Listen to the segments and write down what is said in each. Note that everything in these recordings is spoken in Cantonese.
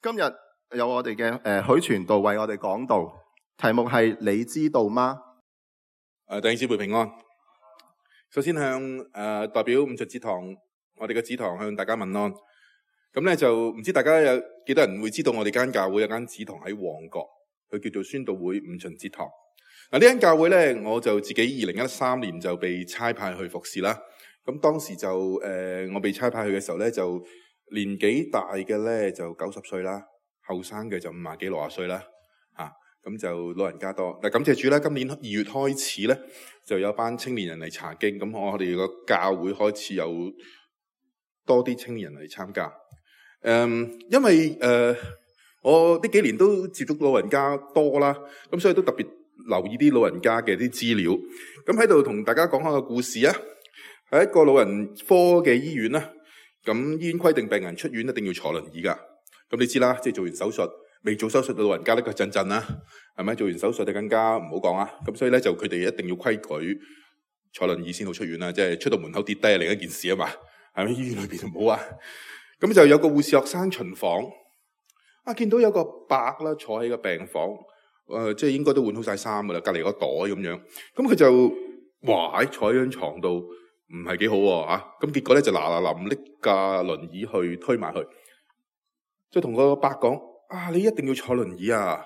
今日有我哋嘅許傳道為我哋講道，題目係你知道嗎？弟兄姊妹平安。首先向代表五旬節堂我哋嘅子堂向大家問安。咁咧就唔知大家有幾多人會知道我哋間教會有間子堂喺旺角，佢叫做宣道會五旬節堂。嗱，呢間教會咧，我就自己2013年就被差派去服侍啦。咁當時就我被差派去嘅時候咧，就年紀大嘅咧就90歲啦，後生嘅就50幾60歲啦。咁就老人家多。嗱，感謝主啦，今年2月開始咧，就有班青年人嚟查經。咁我哋個教會開始有多啲青年人嚟參加。因為我呢幾年都接觸老人家多啦，咁所以都特別留意啲老人家嘅啲資料。咁喺度同大家講下個故事啊。喺一個老人科嘅醫院啦，咁醫院規定病人出院一定要坐輪椅噶。咁你知啦，即係做完手術，未做手術嘅老人家咧，佢震震啦，係咪？做完手術就更加唔好講啊。咁所以咧就佢哋一定要規矩坐輪椅先好出院啦，即係出到門口跌低係另一件事啊嘛，係咪？醫院裏邊就唔好啊。咁就有個護士學生巡房，見到有個伯啦坐喺個病房，即係應該都換好晒衫噶啦，隔籬個袋咁樣。咁佢就坐喺張床度。唔係幾好喎，咁結果咧就嗱臨拎架輪椅去推埋去，就同個伯講：你一定要坐輪椅啊！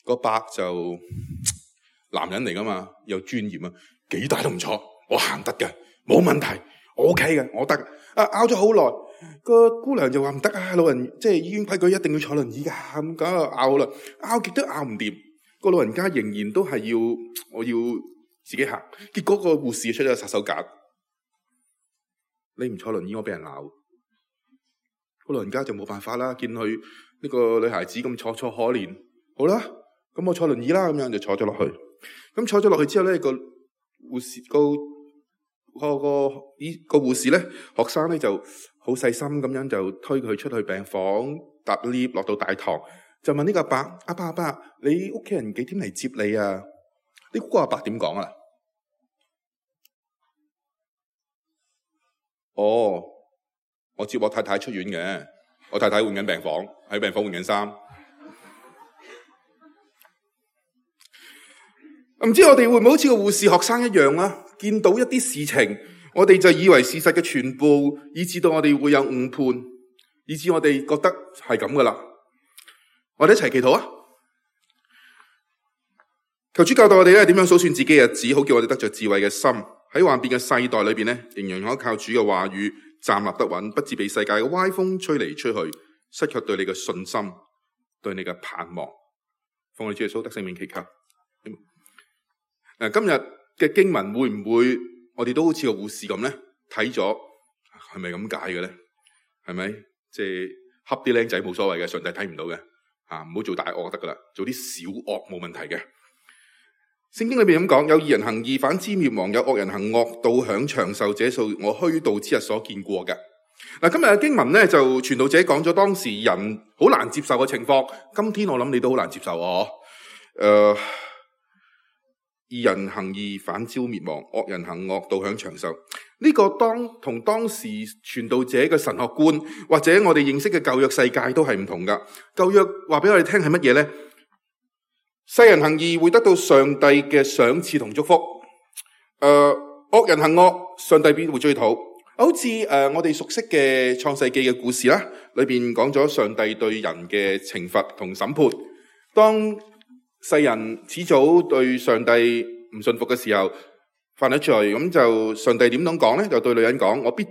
個伯就男人嚟噶嘛，又專業啊，幾大都唔坐，我行得嘅，冇問題，我 OK 嘅，我得。拗咗好耐，個姑娘就話唔得啊，老人即係醫院規矩一定要坐輪椅噶，咁梗係拗啦，拗極都拗唔掂，個老人家仍然都係我要自己行，結果個護士出咗殺手鐧，你唔坐輪椅我俾人鬧，個老人家就冇辦法啦，見佢呢個女孩子咁楚楚可憐，好啦，咁我坐輪椅啦，咁樣就坐咗落去。咁坐咗落去之後咧，個護士個護士咧，學生咧就好細心咁樣就推佢出去病房，搭 lift 落到大堂，就問呢個阿伯，你屋企人幾點嚟接你啊？你估個阿伯點講啊？我接我太太出院嘅，我太太換緊病房，喺病房換緊衫。唔知我哋會唔會好似個護士學生一樣啦？見到一啲事情，我哋就以為事實嘅全部，以致到我哋會有誤判，以致我哋覺得係咁噶啦。我哋一齊祈禱啊！求主教導我哋咧，點樣數算自己嘅日子，好叫我哋得着智慧嘅心，喺幻變嘅世代裏邊咧，仍然可靠主嘅話語站立得穩，不致被世界嘅歪風吹嚟吹去，失卻對你嘅信心，對你嘅盼望。奉我哋主耶穌得聖名祈求。今日嘅經文會唔會我哋都好似個護士咁咧？睇咗係咪咁解嘅咧？係咪即係恰啲僆仔冇所謂嘅，上帝睇唔到嘅唔好做大惡得噶啦，做啲小惡冇問題嘅。聖經裏邊咁講，有義人行義，反之滅亡；有惡人行惡，倒享長壽。這數我虛度之日所見過嘅。嗱，今日嘅經文咧就傳道者講咗當時人好難接受嘅情況。今天我諗你都好難接受義人行義，反招滅亡；惡人行惡，倒享長壽。呢個同當時傳道者嘅神學觀，或者我哋認識嘅舊約世界都係唔同噶。舊約話俾我哋聽係乜嘢咧？世人行義會得到上帝嘅賞賜同祝福，惡人行惡，上帝必會追討。好似我哋熟悉嘅創世記嘅故事啦，裏邊講咗上帝對人嘅懲罰同審判。當世人始早對上帝唔信服嘅時候，犯咗罪，咁就上帝點樣講咧？就對女人講：我必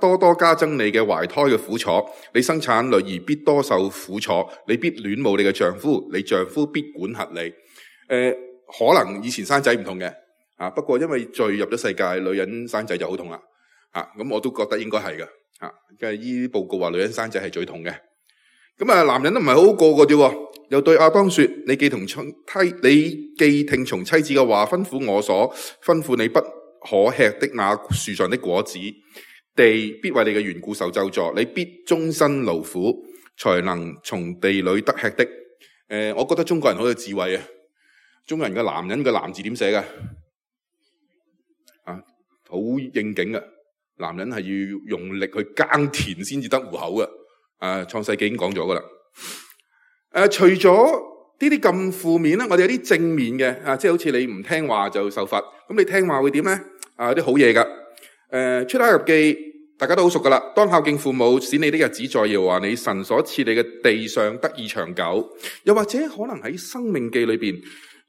多多加增你嘅懷胎嘅苦楚，你生產女兒必多受苦楚，你必戀慕你嘅丈夫，你丈夫必管轄你。可能以前生仔唔痛嘅，不過因為罪入咗世界，女人生仔就好痛啦。咁我都覺得應該係嘅。因為呢啲報告話女人生仔係最痛嘅。咁男人都唔係好好過嘅啫。又對亞當說：你既聽從妻子嘅話，吩咐我所吩咐你不可吃的那樹上的果子，地必為你嘅緣故受咒詛，你必終身勞苦，才能從地裏得吃的。我覺得中國人好有智慧啊！中國人嘅男人嘅男字點寫㗎？好應景嘅，男人係要用力去耕田先至得糊口嘅。創世記已經講咗噶啦。除咗呢啲咁負面咧，我哋有啲正面嘅即係好似你唔聽話就受罰，咁你聽話會點咧？有啲好嘢噶。出埃及記大家都好熟噶啦，當孝敬父母，使你的日子在耶和華你神所賜你嘅地上得以長久。又或者可能喺申命記裏邊，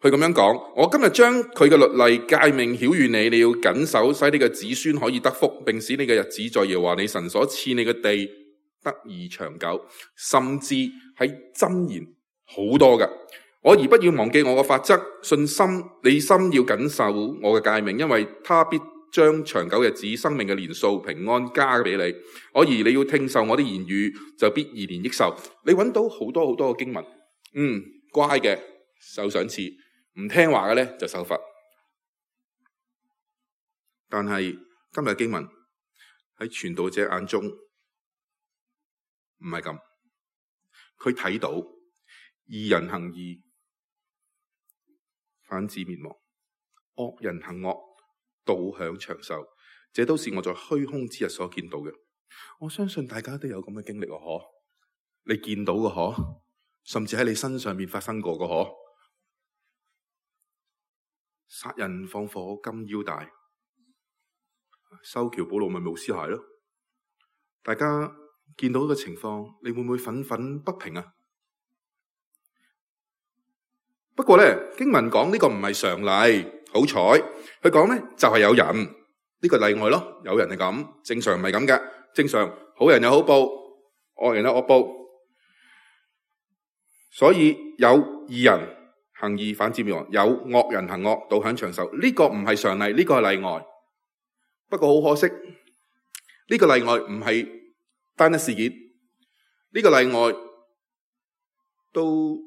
佢咁樣講：我今日將佢嘅律例誡命曉諭你，你要謹守，使你嘅子孫可以得福，並使你嘅日子在耶和華你神所賜你嘅地得以長久。甚至喺箴言好多噶，我而不要忘記我嘅法則，信心你心要謹守我嘅誡命，因為他必將長久日子、生命嘅年數、平安加俾你。我而你要聽受我的言語，就必延年益壽。你揾到好多好多嘅經文，乖嘅受賞賜，唔聽話嘅咧就受罰。但係今日經文喺傳道者眼中唔係咁，佢睇到義人行義，反致滅亡；惡人行惡，導享長壽。這都是我在虛空之日所見到嘅。我相信大家都有咁嘅經歷可？你見到嘅可？甚至喺你身上面發生過嘅可？殺人放火金腰帶，修橋補路咪冇屍骸咯。大家見到呢個情況，你會唔會憤憤不平啊？不過咧，經文講呢個唔係常例，好彩佢講咧就係有人，呢個例外咯。有人係咁，正常唔係咁嘅。正常好人有好報，惡人有惡報。所以有義人行義，反致滅亡；有惡人行惡，導享長壽。呢個唔係常例，呢個係例外。不過好可惜，呢個例外唔係單一事件，呢個例外都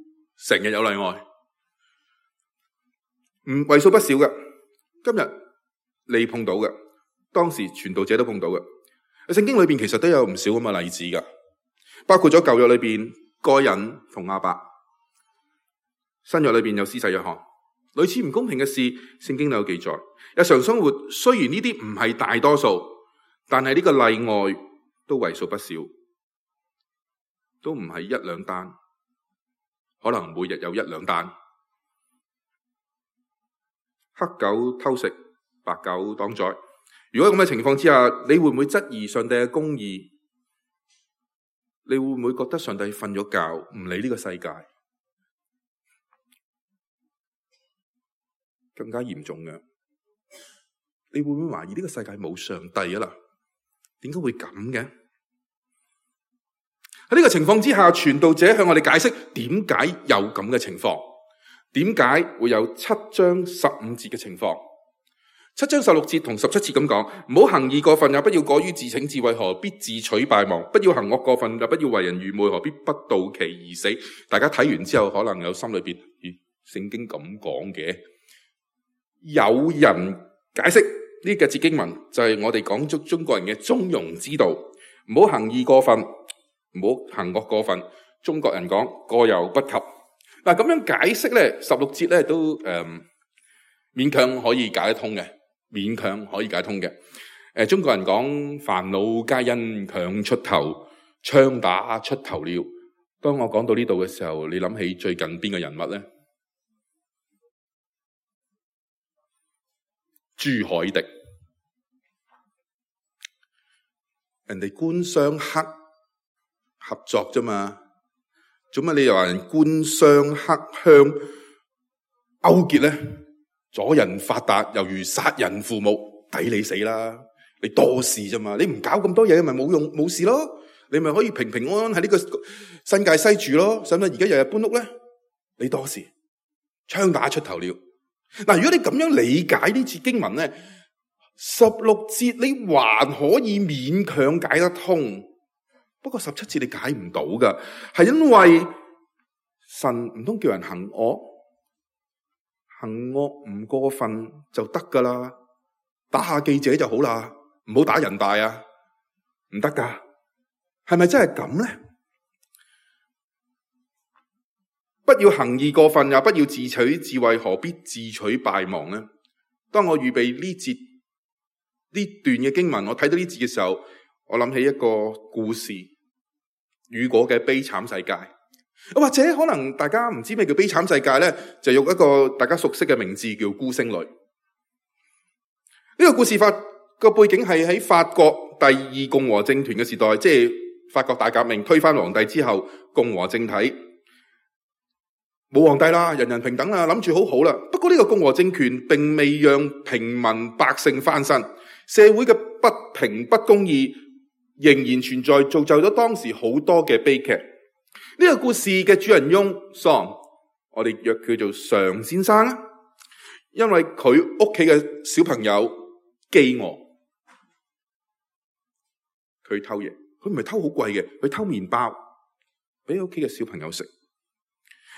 成日有例外，為數不少嘅。今日你碰到嘅，當時傳道者都碰到嘅。聖經裏邊其實都有唔少咁嘅例子噶，包括咗舊約裏邊該隱同亞伯，新約裏邊有施洗約翰。類似唔公平嘅事，聖經都有記載。日常生活雖然呢啲唔係大多數，但係呢個例外都為數不少，都唔係一兩單，可能每日有一兩單。黑狗偷食，白狗當災。如果咁嘅情況之下，你會唔會質疑上帝嘅公義？你會唔會覺得上帝瞓咗覺，唔理呢個世界？更加嚴重嘅，你會唔會懷疑呢個世界冇上帝啊？啦，點解會咁嘅？喺呢個情況之下，傳道者向我哋解釋點解有咁嘅情況，點解會有7章15節嘅情況。7章16節同17節咁講，唔好行義過分，也不要過於自逞，智慧何必自取敗亡？不要行惡過分，也不要為人愚昧，何必不到期而死？大家睇完之後，可能有心裏邊，聖經咁講嘅。有人解釋呢個節經文就係我哋講足中國人嘅中庸之道，唔好行義過分，唔好行惡過分。中國人講過猶不及。嗱，咁樣解釋咧，16節咧都勉強可以解得通嘅，勉強可以解通嘅。中國人講煩惱皆因強出頭，槍打出頭鳥。當我講到呢度嘅時候，你諗起最近邊個人物咧？朱凱廸，人哋官商黑合作啫嘛，做乜你又話人官商黑鄉勾結咧？阻人發達猶如殺人父母，抵你死啦！你多事啫嘛，你唔搞咁多嘢咪冇用冇事咯，你咪可以平平安安喺呢個新界西住咯，使唔使而家日日搬屋咧？你多事，槍打出頭鳥。嗱，如果你咁樣理解呢節經文咧，16節你還可以勉強解得通，不過17節你解唔到噶，係因為神唔通叫人行惡，行惡唔過分就得噶啦，打下記者就好啦，唔好打人大啊，唔得噶，係咪真係咁咧？不要行義過分，也不要自取智慧，何必自取敗亡呢？當我預備呢段嘅經文，我睇到呢節嘅時候，我諗起一個故事。雨果嘅悲慘世界。或者可能大家唔知咩叫悲慘世界咧，就用一個大家熟悉嘅名字叫孤星淚。呢個故事個背景係喺法國第二共和政權嘅時代，即係法國大革命推翻皇帝之後，共和政體冇皇帝啦，人人平等啦，諗住好好啦。不過呢個共和政權並未讓平民百姓翻身，社會嘅不平不公義仍然存在，造就咗當時好多嘅悲劇。呢個故事嘅主人翁 Son， 我哋約佢做常先生啦，因為佢屋企嘅小朋友飢餓，佢偷嘢，佢唔係偷好貴嘅，佢偷麵包俾屋企嘅小朋友食。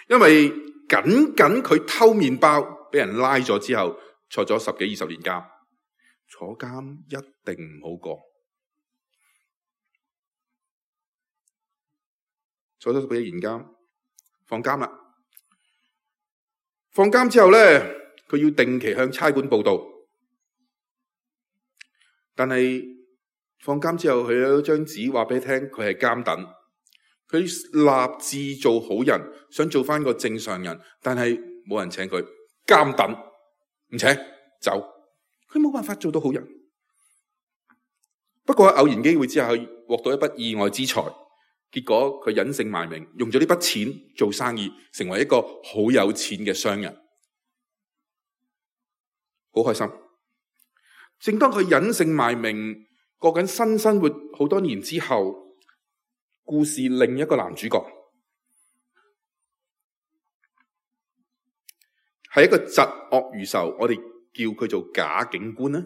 因為僅佢偷麵包，俾人拉咗之後，坐咗10幾20年監，坐監一定唔好過。坐咗10幾年監，放監啦。放監之後咧，佢要定期向差館報到。但係放監之後，佢有一張紙話俾你聽，佢係監躉。佢立志做好人，想做翻個正常人，但係冇人請佢，監躉唔請，走。佢冇辦法做到好人。不過喺偶然機會之下，佢獲到一筆意外之財，結果佢隱姓埋名，用咗呢筆錢做生意，成為一個好有錢嘅商人，好開心。正當佢隱姓埋名過緊新生活好多年之後，故事另一個男主角係一個疾惡如仇，我哋叫佢做賈警官啦。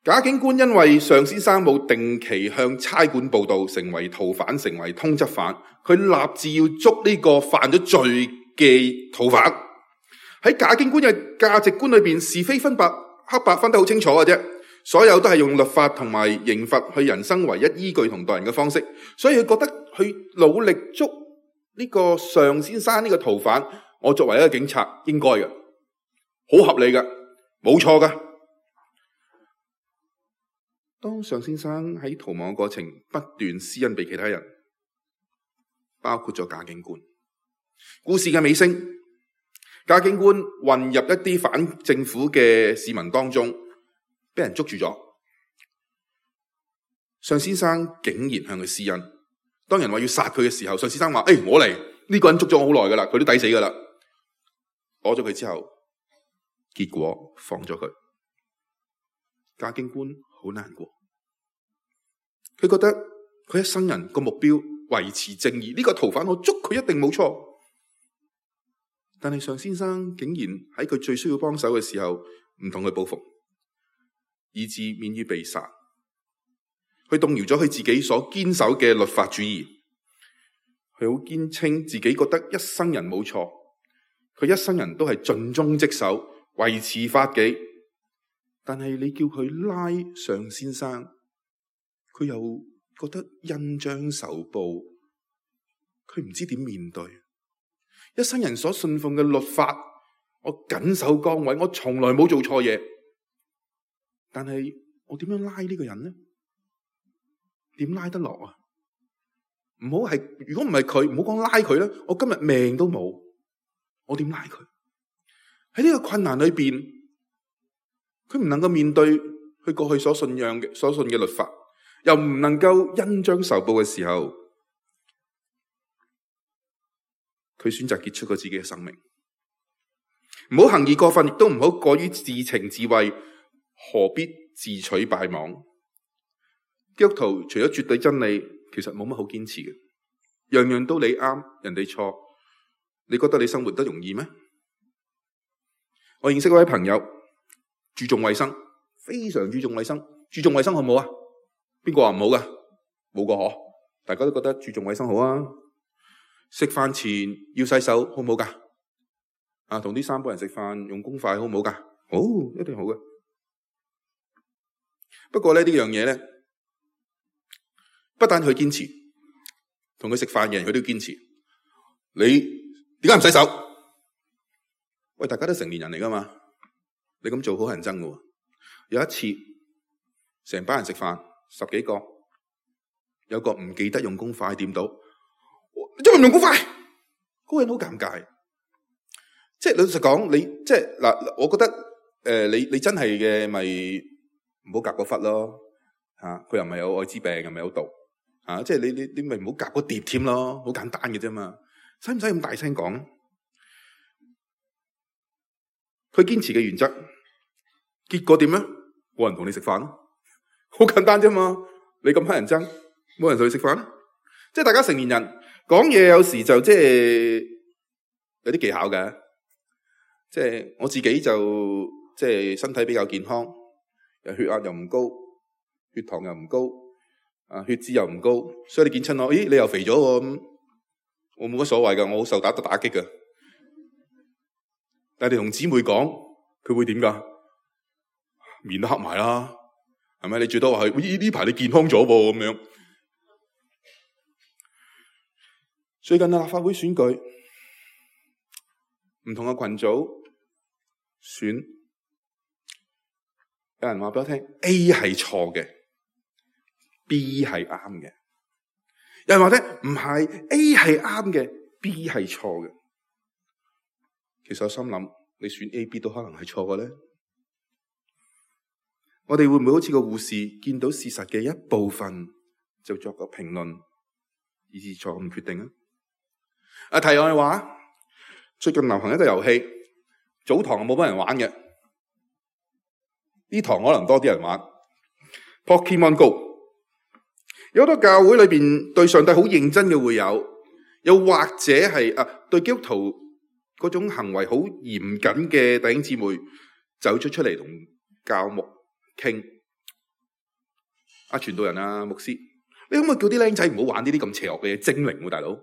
賈警官因為常先生冇定期向差館報到，成為逃犯，成為通緝犯，佢立志要捉呢個犯咗罪嘅逃犯。喺賈警官嘅價值觀裏邊，是非分白黑白分得好清楚嘅啫。所有都係用律法同埋刑罰去人生唯一依據同待人嘅方式，所以佢覺得去努力捉呢個常先生呢個逃犯，我作為一個警察應該嘅，好合理嘅，冇錯嘅。當常先生喺逃亡嘅過程不斷施恩俾其他人，包括咗賈警官。故事嘅尾聲，賈警官混入一啲反政府嘅市民當中，俾人捉住咗。常先生竟然向佢施恩。當人話要殺佢嘅時候，常先生話：我嚟，呢個人捉咗我好耐噶啦，佢都抵死噶啦。攞咗佢之後，結果放咗佢。賈警官好難過，佢覺得佢一生人個目標維持正義，呢個逃犯我捉佢一定冇錯。但係常先生竟然喺佢最需要幫手嘅時候唔同佢報復，以致免於被殺。佢動搖咗佢自己所堅守嘅律法主義，佢好堅稱自己覺得一生人冇錯，佢一生人都係盡忠職守，維持法紀。但係你叫佢拉常先生，佢又覺得恩將仇報，佢唔知點面對。一生人所信奉嘅律法，我緊守崗位，我從來冇做錯嘢。但係我點樣拉呢個人呢？點拉得落啊？唔好係，如果唔係佢，唔好講拉佢啦，我今日命都冇，我點拉佢？喺呢個困難裏邊，佢唔能夠面對佢過去所信嘅律法，又唔能夠恩將仇報嘅時候，佢選擇結束咗自己嘅生命。唔好行義過分，亦都唔好過於自情自慰，何必自取敗亡？基督徒除咗絕對真理，其實冇乜好堅持嘅，樣樣都你啱，人哋錯，你覺得你生活得容易咩？我認識一位朋友，注重衛生，非常注重衛生。注重衛生好唔好啊？邊個話唔好噶？冇個嗬，大家都覺得注重衛生好啊。食飯前要洗手好唔好噶？同啲三個人食飯用公筷好唔好噶？好，一定好嘅。不過呢樣嘢咧，不但佢堅持，同佢食飯嘅人佢都堅持。你點解唔洗手？喂，大家都成年人嚟噶嘛？你咁做好乞人憎噶。有一次，成班人食飯，10幾個，有個唔記得用公筷掂到，因為唔用公筷，嗰個人好尷尬。即係老實講，你即係嗱，我覺得你真係嘅咪唔好夾嗰忽咯嚇，佢又唔係有愛滋病，又唔係有毒嚇，即係你咪唔好夾嗰碟添咯，好簡單嘅啫嘛，使唔使咁大聲講？佢堅持嘅原則，結果點咧？冇人同你食飯咯，好簡單啫嘛。你咁乞人憎，冇人同你食飯，即係大家成年人講嘢，有時就即係有啲技巧嘅。即係我自己就即係身體比較健康，血壓又唔高，血糖又唔高，血脂又唔高，所以你見親我，咦，你又肥咗喎，咁我冇乜所謂噶，我好受打擊噶。但係你同姊妹講，佢會點噶？面都黑埋啦，係咪？你最多話係呢排你健康咗噃咁樣。最近立法會選舉，唔同嘅群組選，有人話俾我聽 A 係錯嘅 ，B 係啱嘅。有人話聽唔係 A 係啱嘅 ，B 係錯嘅。其實我心諗，你選 A、B 都可能係錯嘅咧。我哋會唔會好似個護士見到事實嘅一部分就作個評論，以致錯誤決定啊？題外話，最近流行一個遊戲，早堂冇乜人玩嘅，呢堂可能多啲人玩 Pokemon Go。有好多教會裏邊對上帝好認真嘅會有，又或者係對基督徒嗰種行為好嚴謹嘅弟兄姊妹走出嚟同教牧傾。傳道人牧師，你可唔可以叫啲僆仔唔好玩呢啲咁邪惡嘅嘢？精靈喎，大佬。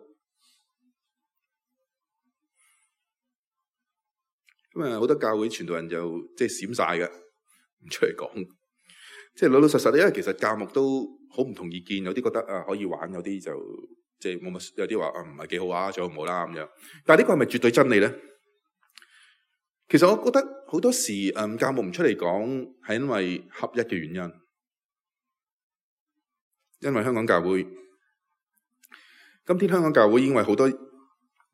咁好多教會傳道人就即係閃晒嘅，唔出嚟講。即係老老實實，因為其實教牧都好唔同意見，有啲覺得可以玩，有啲就即係冇乜，有啲話唔係幾好啊，最好唔好啦咁樣。但係呢個係咪絕對真理咧？其實我覺得好多時教牧唔出嚟講，係因為合一嘅原因。因為香港教會，今天香港教會已經為好多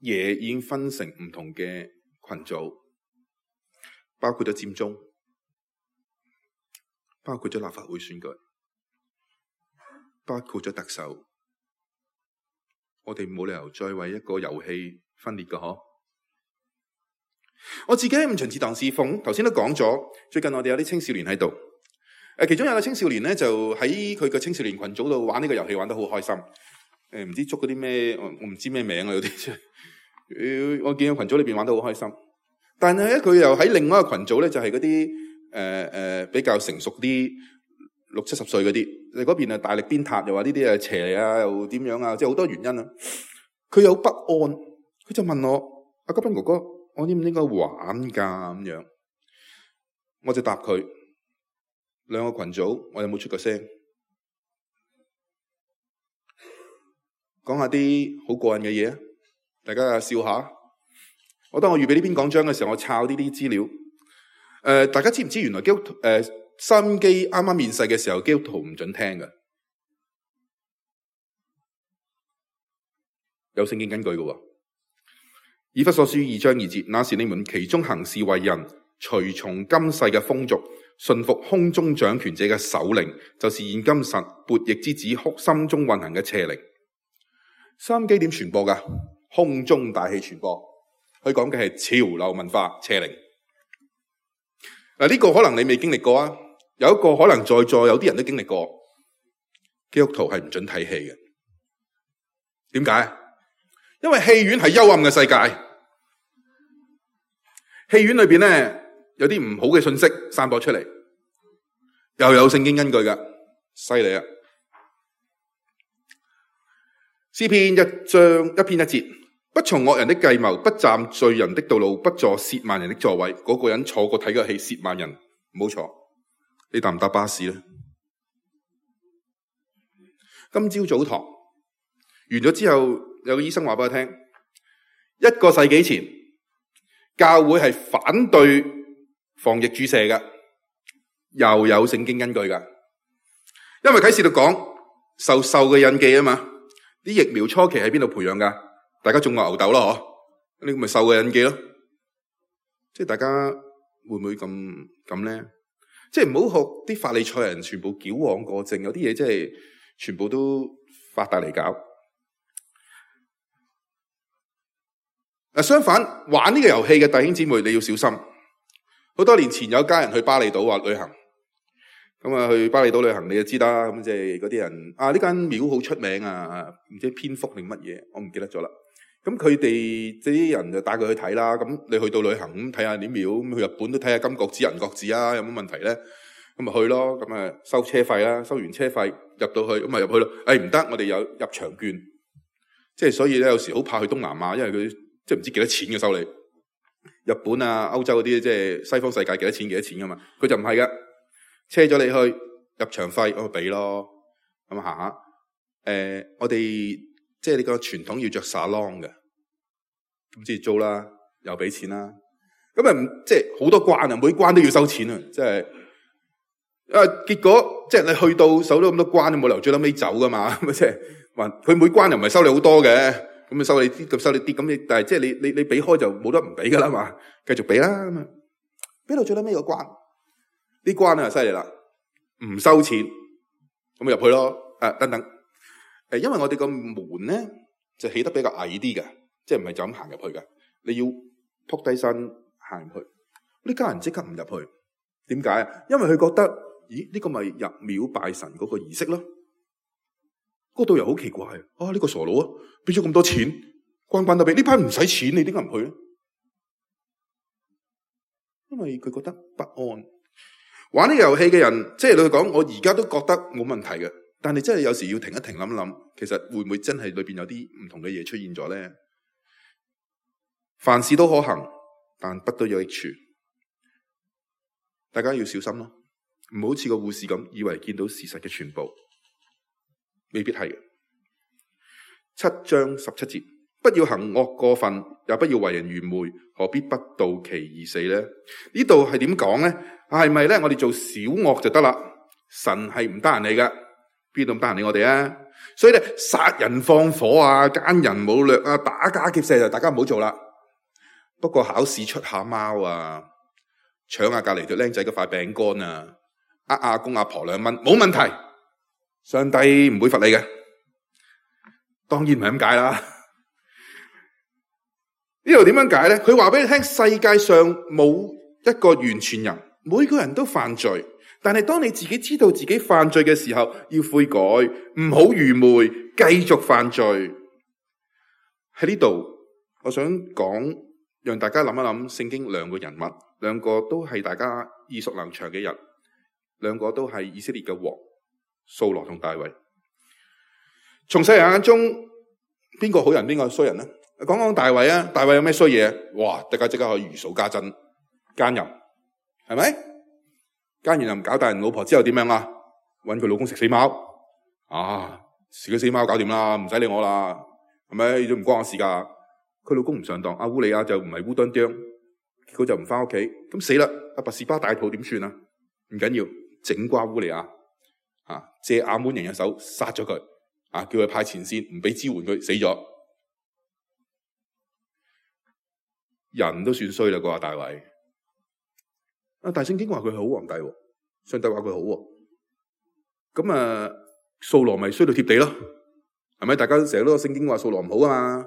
嘢已經分成唔同嘅群組。包括咗佔中，包括咗立法會選舉，包括咗特首，我哋冇理由再為一個遊戲分裂㗎嗬。我自己喺五旬節堂侍奉，頭先都講咗，最近我哋有啲青少年喺度，其中有個青少年咧就喺佢個青少年群組度玩呢個遊戲，玩得好開心。唔知捉嗰啲咩，我唔知咩名啊，有啲我見個群組裏邊玩得好開心。但係咧，佢又喺另外一個群組咧，就係嗰啲比較成熟啲60-70歲嗰啲。你嗰邊大力鞭撻，又話呢啲邪啊，又點樣啊，即係好多原因啊。佢有不安，佢就問我：阿嘉賓哥哥，我應唔應該玩㗎咁樣？我就答佢：兩個群組，我有冇出個聲？講下啲好過癮嘅嘢啊！大家笑下。當我預備呢篇講章嘅時候，我抄呢啲資料。大家知唔知原來基督徒收音機啱啱面世嘅時候，基督徒唔准聽嘅，有聖經根據嘅。以弗所書2章2節，那時你們其中行事為人，隨從今世嘅風俗，順服空中掌權者嘅首領，就是現今神悖逆之子心中運行嘅邪靈。收音機點傳播㗎？空中大氣傳播。佢講嘅係潮流文化邪靈。呢個可能你未經歷過啊，有一個可能在座有啲人都經歷過。基督徒係唔准睇戲嘅。點解？因為戲院係幽暗嘅世界，戲院裏邊咧有啲唔好嘅信息散播出嚟，又有聖經根據噶，犀利啊！詩篇1章1篇1節。不從惡人的計謀，不站罪人的道路，不坐褻慢人的座位。嗰個人坐過睇個戲，褻慢人唔好坐。你搭唔搭巴士呢？今朝早堂完咗之後，有個醫生話俾我聽，1個世紀前教會係反對防疫注射嘅，又有聖經根據噶。因為啟示錄講受獸嘅印記啊嘛。啲疫苗初期喺邊度培養噶？大家種過牛痘咯，嗬？呢個咪獸嘅印記咯。即係大家會唔會咁咧？即係唔好學啲法利賽人全部矯枉過正，有啲嘢即係全部都發大嚟搞。相反，玩呢個遊戲嘅弟兄姊妹，你要小心。好多年前有家人去巴厘島話旅行，咁啊去巴厘島旅行你就知啦。咁即係嗰啲人呢間廟好出名啊，唔知蝙蝠定乜嘢，我唔記得咗啦。咁佢哋啲人就帶佢去睇啦。咁你去到旅行咁睇下啲廟，咁去日本都睇下金閣寺、銀閣寺啊，有冇問題咧？咁咪去咯。咁啊收車費啦，收完車費入到去，咁咪入去咯。唔得，我哋有入場券，即係所以咧有時好怕去東南亞，因為佢即係唔知幾多錢嘅收你。日本啊、歐洲嗰啲即係西方世界幾多錢噶嘛？佢就唔係噶，車咗你去入場費，我俾咯。咁行下，我哋即係呢個傳統要着salon嘅，咁即係租啦，又俾錢啦。咁啊，即係好多關啊，每關都要收錢啊，即係。結果即係你去到守咗咁多關，你冇理由最撚尾走噶嘛？咁即係話佢每關又唔係收你好多嘅。咁收你啲，咁收你啲，咁你但係即係你俾開就冇得唔俾噶啦嘛，繼續俾啦咁啊，俾到最尾個關，呢關啊犀利啦，唔收錢，咁入去咯，等等，因為我哋個門咧就起得比較矮啲嘅，即係唔係就咁行入去嘅，你要撲低身行入去，呢家人即刻唔入去，點解啊？因為佢覺得，咦呢個咪入廟拜神嗰個儀式咯。嗰度又好奇怪啊！呢個傻佬啊，俾咗咁多錢，關都俾呢班唔使錢，你點解唔去咧？因為佢覺得不安。玩呢個遊戲嘅人，即係你講，我而家都覺得冇問題嘅，但係真係有時要停一停諗一諗，其實會唔會真係裏邊有啲唔同嘅嘢出現咗咧？凡事都可行，但不都有益處。大家要小心咯，唔好似個護士咁，以為見到事實嘅全部。未必係嘅。7章17節，不要行惡過分，也不要為人愚昧，何必不到期而死呢？呢度係點講呢？係咪咧？我哋做小惡就得啦？神係唔得閒理噶，邊度唔得閒理我哋啊？所以咧，殺人放火啊，奸人擄掠啊，打家劫舍就大家唔好做啦。不過考試出下貓啊，搶下隔籬條僆仔嗰塊餅乾啊，阿公阿婆2蚊，冇問題。上帝唔會罰你嘅，當然唔係咁解啦。呢度點樣解咧？佢話俾你聽，世界上冇一個完全人，每個人都犯罪。但係當你自己知道自己犯罪嘅時候，要悔改，唔好愚昧，繼續犯罪。喺呢度，我想講，讓大家諗一諗聖經兩個人物，兩個都係大家耳熟能詳嘅人，兩個都係以色列嘅王。掃羅同大衛，從世人眼中邊個好人邊個衰人呢？講講大衛啊，大衛有咩衰嘢？哇！大家即刻可以如數家珍，奸淫係咪？奸完又唔搞大人老婆之後點樣啊？搵佢老公食死貓啊！食咗死貓搞掂啦，唔使理我啦，係咪？都唔關我事噶。佢老公唔上當，阿烏利亞就唔係烏當當，結果就唔翻屋企，咁死啦！阿拔士巴大肚點算啊？唔緊要，整瓜烏利亞。借亞捫人嘅手殺咗佢，叫佢派前線，唔俾支援佢，死咗。人都算衰啦，個大衛。大聖經話佢係好皇帝，上帝話佢好。咁掃羅咪衰到貼地咯，係咪？大家成日都聖經話掃羅唔好啊嘛。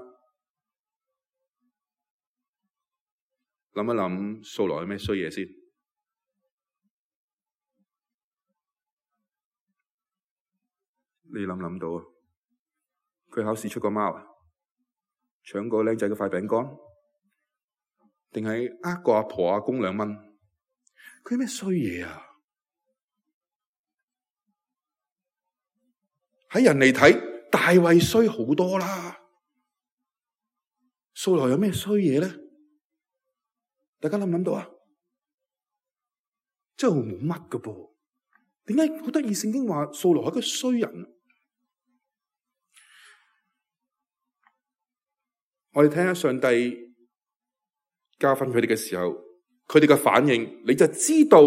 諗一諗，掃羅有咩衰嘢先？你諗到啊？佢考試出個貓啊，搶個僆仔嘅塊餅乾，定係個阿婆阿公2蚊？佢咩衰嘢啊？喺人嚟睇，大衛衰好多啦。掃羅有咩衰嘢咧？大家諗到啊？真係冇乜噶噃。點解好得意？聖經話掃羅係一個衰人。我哋睇下上帝教訓佢哋嘅時候，佢哋嘅反應，你就知道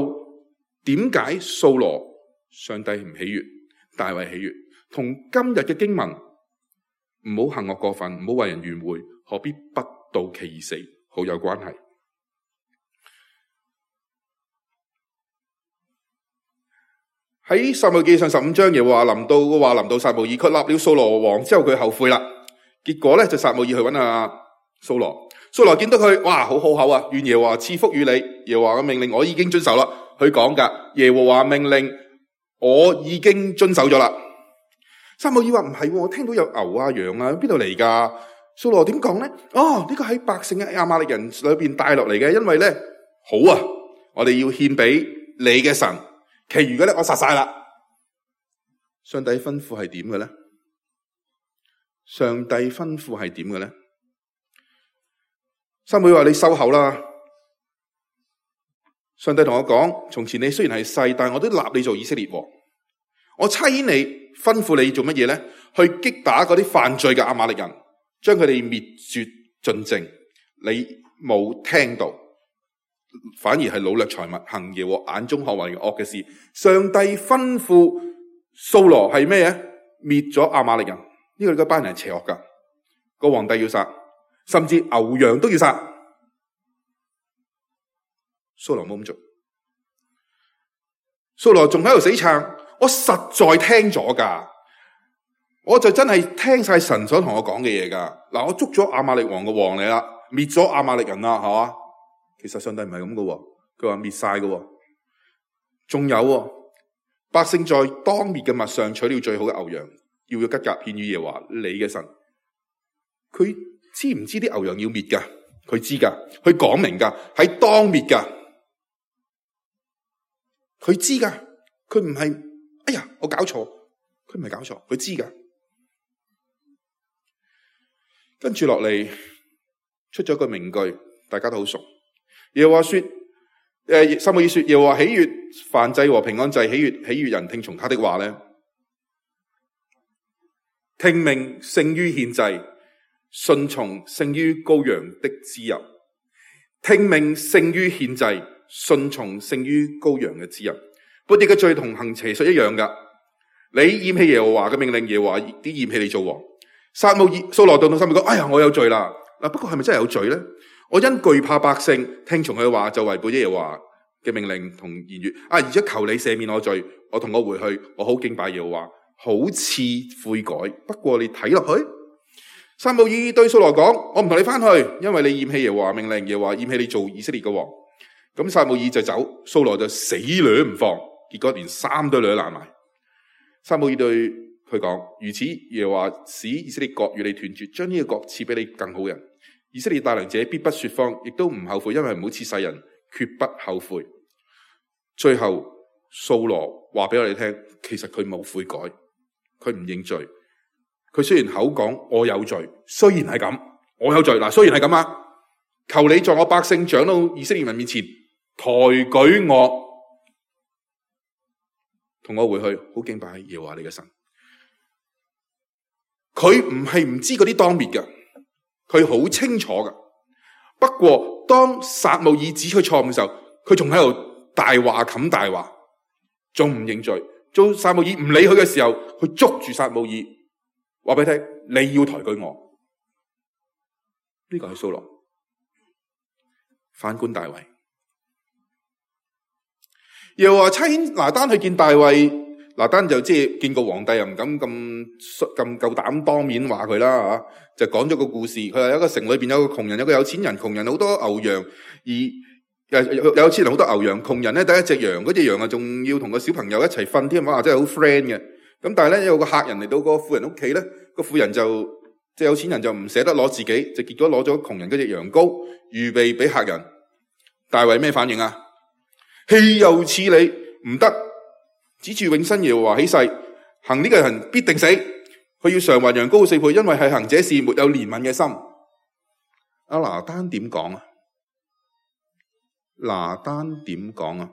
點解掃羅上帝唔喜悅，大衛喜悅。同今日嘅經文，唔好行惡過分，唔好為人辯護，何必不到期而死，好有關係。喺撒母耳記上15章，耶和華臨到撒母耳，佢立了掃羅王之後，佢後悔啦。結果咧就撒母耳去揾掃羅，掃羅見到佢，哇，好好口啊，願耶和華賜福於你。耶和華嘅命令我已經遵守啦，佢講噶，耶和華命令我已經遵守咗啦。撒母耳話唔係，我聽到有牛啊羊啊，邊度嚟噶？掃羅點講咧？哦，呢個喺百姓嘅亞瑪力人裏邊帶落嚟嘅，因為咧好啊，我哋要獻俾你嘅神。其餘嘅咧，我殺晒啦。上帝吩咐係點嘅咧？上帝吩咐係點嘅咧？撒母耳話：你收口啦！上帝同我講：從前你雖然係細，但係我都立你做以色列王。我差遣你，吩咐你做乜嘢咧？去擊打嗰啲犯罪嘅亞瑪力人，將佢哋滅絕盡淨。你冇聽到。反而係擄掠財物，行耶和華眼中看為惡嘅事。上帝吩咐掃羅係咩嘢？滅咗亞瑪力人。呢個班人係邪惡噶，個皇帝要殺，甚至牛羊都要殺。掃羅冇咁做，掃羅仲喺度死撐。我實在聽咗噶，我就真係聽晒神所同我講嘅嘢噶。嗱，我捉咗亞瑪力王嘅王嚟啦，滅咗亞瑪力人啦，係嘛？其實上帝唔係咁噶，佢話滅晒噶，仲有百姓在當滅嘅物上取了最好嘅牛羊，要吉甲獻與耶和華你嘅神。佢知唔知啲牛羊要滅噶？佢知噶，佢講明噶，喺當滅噶，佢知噶，佢唔係哎呀我搞錯，佢唔係搞錯，佢知噶。跟住落嚟出咗個名句，大家都好熟。耶和華說，撒母耳說，耶和華喜悅燔祭和平安祭，喜悅人聽從他的話咧。聽命勝於獻祭，順從勝於羔羊的脂油。聽命勝於獻祭，順從勝於羔羊嘅脂油。悖逆嘅罪同行邪術一樣噶。你厭棄耶和華嘅命令，耶和華啲厭棄你做王。掃羅到撒母耳講：哎呀，我有罪啦！嗱，不過係咪真係有罪咧？我因懼怕百姓，聽從佢嘅話，就違背耶和華嘅命令同言語。而家求你赦免我罪，我同我回去，我好敬拜耶和華，好似悔改。不過你睇落去，撒母耳對掃羅講：我唔同你翻去，因為你厭棄耶和華命令，耶和華厭棄你做以色列嘅王。咁撒母耳就走，掃羅就死掠唔放，結果連衫都掠爛埋。撒母耳對佢講：如此，耶和華使以色列國與你斷絕，將呢個國賜俾你更好人。以色列大能者必不說謊，亦都唔後悔，因為唔好似世人，決不後悔。最後掃羅話俾我哋聽，其實佢冇悔改，佢唔認罪。佢雖然口講我有罪，雖然係咁，我有罪嗱，雖然係咁啊，求你在我百姓長老以色列人面前抬舉我，同我回去，好敬拜耶和華你嘅神。佢唔係唔知嗰啲當滅嘅。佢好清楚噶，不過當撒母耳指佢錯誤嘅時候，佢仲喺度大話冚大話，仲唔認罪。做撒母耳唔理佢嘅時候，佢捉住撒母耳，話俾佢聽：你要抬舉我。呢個係掃羅。反觀大衛，耶和華差遣拿單去見大衛。拿單就即係見過皇帝，又唔敢咁夠膽當面話佢啦嚇，就講咗個故事。佢話有一個城裏邊有個窮人，有個有錢人。窮人好多牛羊，而有錢人好多牛羊。窮人咧得一隻羊，嗰隻羊啊仲要同個小朋友一齊瞓添，哇！真係好 friend 嘅。咁但係咧有個客人嚟到個富人屋企咧，個富人就即係有錢人就唔捨得攞自己，就結果攞咗窮人嗰隻羊羔，預備俾客人。大衛咩反應啊？豈有此理，唔得！指住永生耶和華起誓，行呢個人必定死。佢要償還羊羔4倍，因為係行這事沒有憐憫嘅心。拿單點講啊？拿單點講啊？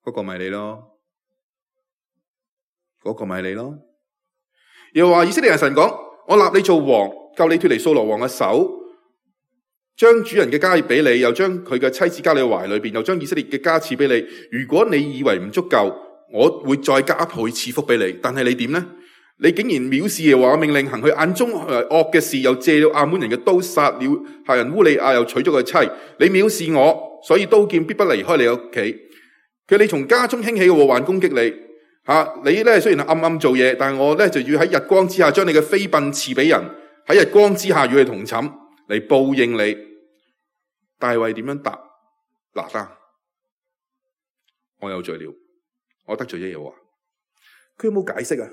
嗰個咪你咯，嗰個咪你咯。又話以色列人神講：我立你做王，救你脫離掃羅王嘅手，將主人嘅家業俾你，又將佢嘅妻子交你懷裏邊，又將以色列嘅家賜俾你。如果你以為唔足夠，我會再加倍賜福俾你。但係你點呢？你竟然藐視耶和華命令，行佢眼中惡嘅事，又借了亞捫人嘅刀殺了赫人烏利亞，又娶咗佢妻。你藐視我，所以刀劍必不離開你屋企。佢你從家中興起嘅禍患攻擊你。你咧雖然暗暗做嘢，但係我咧就要喺日光之下將你嘅妃嬪賜俾人，喺日光之下與你同寢嚟報應你。大衛點樣答？拿單，我有罪了，我得罪咗耶和華。佢有冇解釋啊？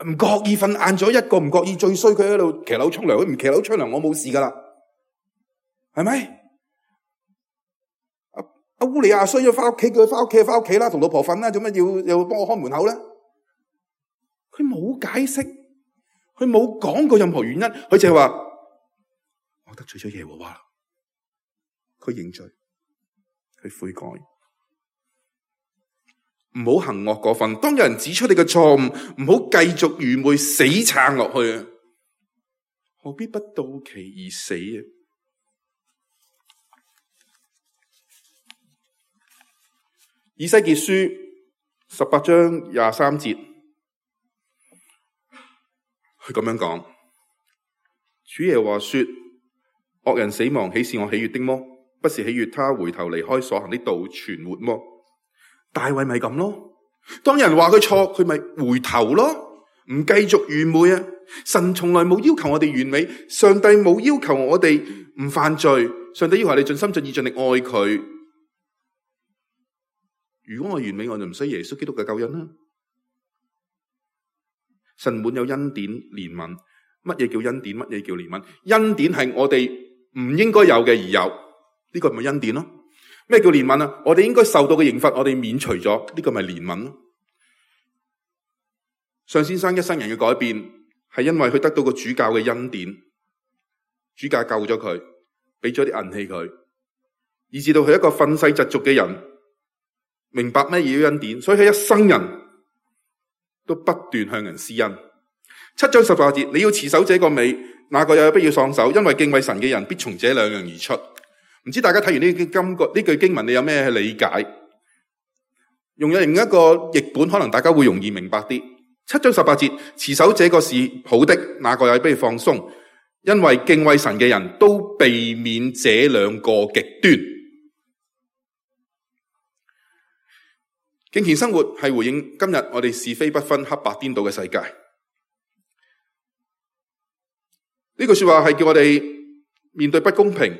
唔覺意瞓晏咗一個，唔覺意最衰，佢喺度騎樓沖涼，佢唔騎樓沖涼，我冇事噶啦，係咪？阿烏利亞衰咗，翻屋企，叫佢翻屋企啦，同老婆瞓啦，做乜要幫我開門口咧？佢冇解釋，佢冇講過任何原因，佢淨係話我得罪咗耶和華，佢認罪，佢悔改。唔好行惡過分。當有人指出你嘅錯誤，唔好繼續愚昧死撐落去啊！何必不到期而死啊？以西結書18章23節，佢咁樣講：主耶和華說，惡人死亡豈是我喜悅的麼？不是喜悅他回頭離開所行的道存活麼？大衛咪咁咯，當人話佢錯，佢咪回頭咯，唔繼續愚昧啊！神從來冇要求我哋完美，上帝冇要求我哋唔犯罪，上帝要求你盡心盡意盡力愛佢。如果我完美，我就唔需要耶穌基督嘅救恩啦。神滿有恩典憐憫，乜嘢叫恩典？乜嘢叫憐憫？恩典係我哋唔應該有嘅而有，呢個咪恩典咯。咩叫憐憫啊？我哋應該受到嘅刑罰，我哋免除咗，呢個咪憐憫咯。尚先生一生人嘅改變，係因為佢得到個主教嘅恩典，主教救咗佢，俾咗啲銀器佢，以至到佢一個憤世嫉俗嘅人，明白咩嘢叫恩典，所以佢一生人都不斷向人施恩。7章18節，你要持守這個美，那個也不要喪手，因為敬畏神嘅人必從這兩樣而出。唔知大家睇完呢句經文，你有咩理解？用另一個譯本，可能大家會容易明白啲。7章18節，持守這個是好的，那個也不要放鬆，因為敬畏神嘅人都避免這兩個極端。敬虔生活係回應今日我哋是非不分、黑白顛倒嘅世界。呢句說話係叫我哋面對不公平、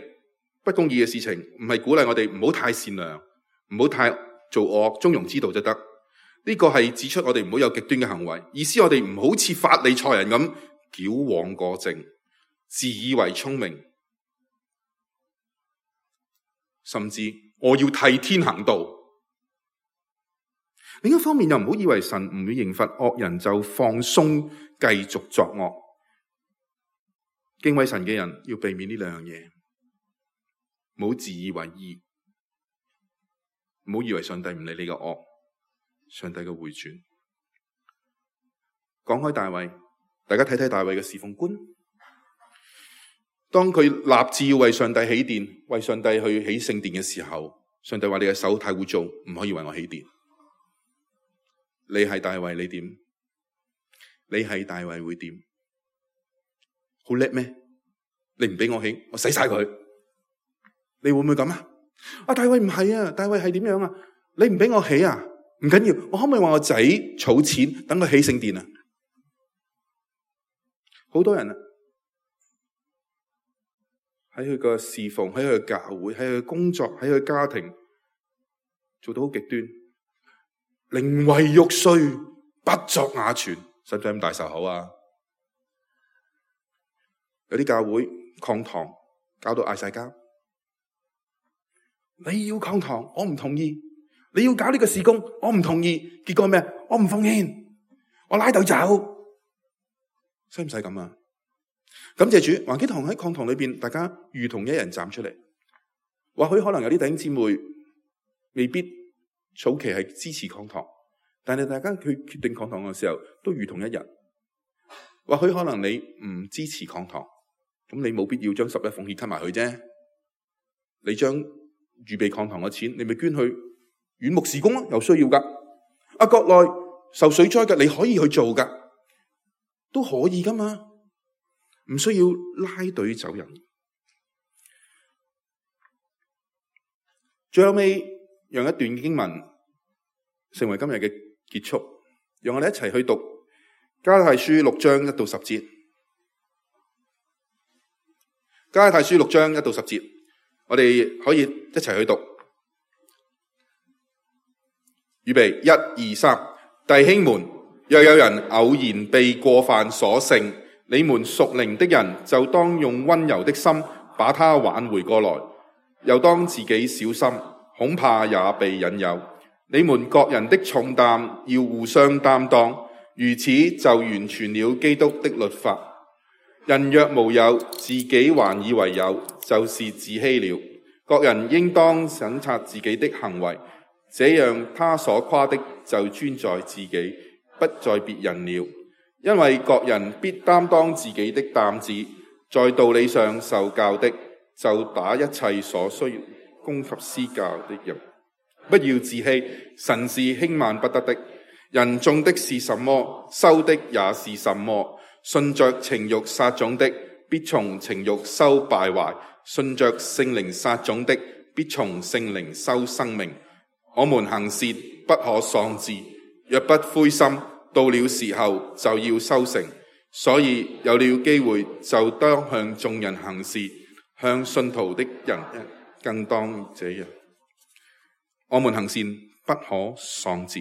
不公義嘅事情，唔係鼓勵我哋唔好太善良，唔好太做惡，中庸之道就得。呢個係指出我哋唔好有極端嘅行為，意思我哋唔好似法利賽人咁矯枉過正，自以為聰明，甚至我要替天行道。另一方面又唔好以為神唔會刑罰惡人就放鬆繼續作惡。敬畏神嘅人要避免呢兩樣嘢，唔好自以為義，唔好以為上帝唔理你嘅惡，上帝嘅回轉。講開大衛，大家睇睇大衛嘅侍奉觀。當佢立志要為上帝起殿，為上帝去起聖殿嘅時候，上帝話你嘅手太污糟，唔可以為我起殿。你係大衛，你點？你係大衛會點？好叻咩？你唔俾我起，我洗晒佢。你會唔會咁啊？大衛唔係啊，大衛係點樣啊？你唔俾我起啊？唔緊要，我可唔可以話我仔儲錢等佢起聖殿啊？好多人啊，喺佢個侍奉，喺佢嘅教會，喺佢嘅工作，喺佢嘅家庭，做到好極端，寧為玉碎，不作瓦全，使唔使咁大仇口啊？有啲教會抗堂，搞到嗌晒交。你要抗堂，我唔同意；你要搞呢個事工，我唔同意。結果咩？我唔奉獻，我拉豆走。使唔使咁啊？感謝主，環基堂喺抗堂裏邊，大家如同一人站出嚟。或許可能有啲弟兄姊妹未必早期係支持抗堂，但係大家去決定抗堂嘅時候，都如同一人。或許可能你唔支持抗堂，咁你冇必要將11奉獻吞埋佢啫。你將預備抗堂嘅錢，你咪捐去遠牧事工咯，有需要噶。國內受水災嘅，你可以去做噶，都可以噶嘛，唔需要拉隊走人。最後尾，讓一段經文成為今日嘅結束，讓我哋一齊去讀加拉太書6章1到10節。加拉太書6章1到10節，我哋可以一齊去讀。預備，1、2、3，弟兄們，若有人偶然被過犯所勝，你們屬靈的人就當用溫柔的心把他挽回過來，又當自己小心，恐怕也被引誘。你們各人的重擔要互相擔當，如此就完全了基督的律法。人若無有，自己還以為有，就是自欺了。各人應當審察自己的行為，這樣他所誇的就專在自己，不在別人了。因為各人必擔當自己的擔子，在道理上受教的，就打一切所需供給施教的人。不要自欺，神是輕慢不得的。人種的是什麼，收的也是什麼。順着情慾撒種的，必從情慾收敗壞；順着聖靈撒種的，必從聖靈收生命。我們行事不可喪志，若不灰心，到了時候就要收成。所以有了機會，就當向眾人行事，向信徒的人更當這樣。我們行善不可喪志。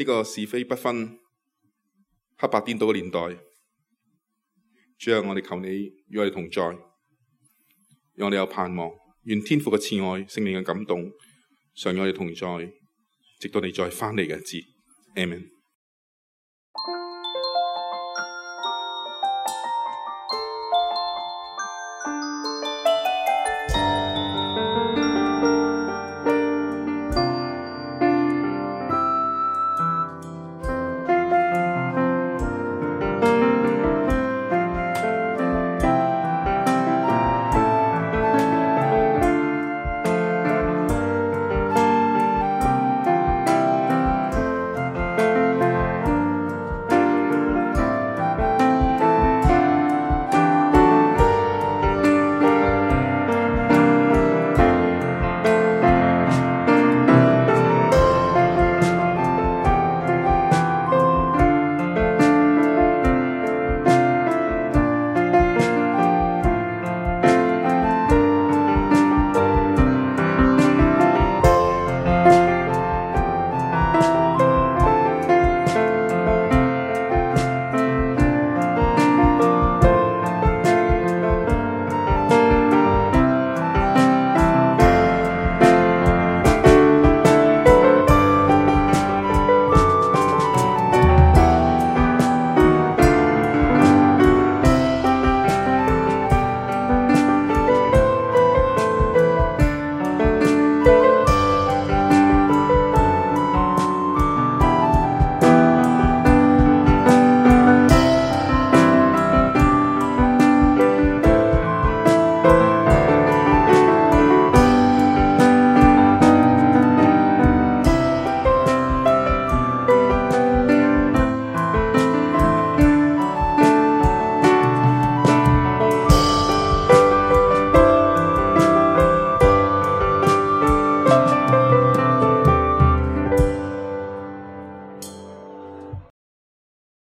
呢個是非不分、黑白顛倒嘅年代，主啊，我哋求你與我哋同在，讓我哋有盼望。願天父嘅慈愛、聖靈嘅感動，常與我哋同在，直到你再翻嚟嘅日子。阿們。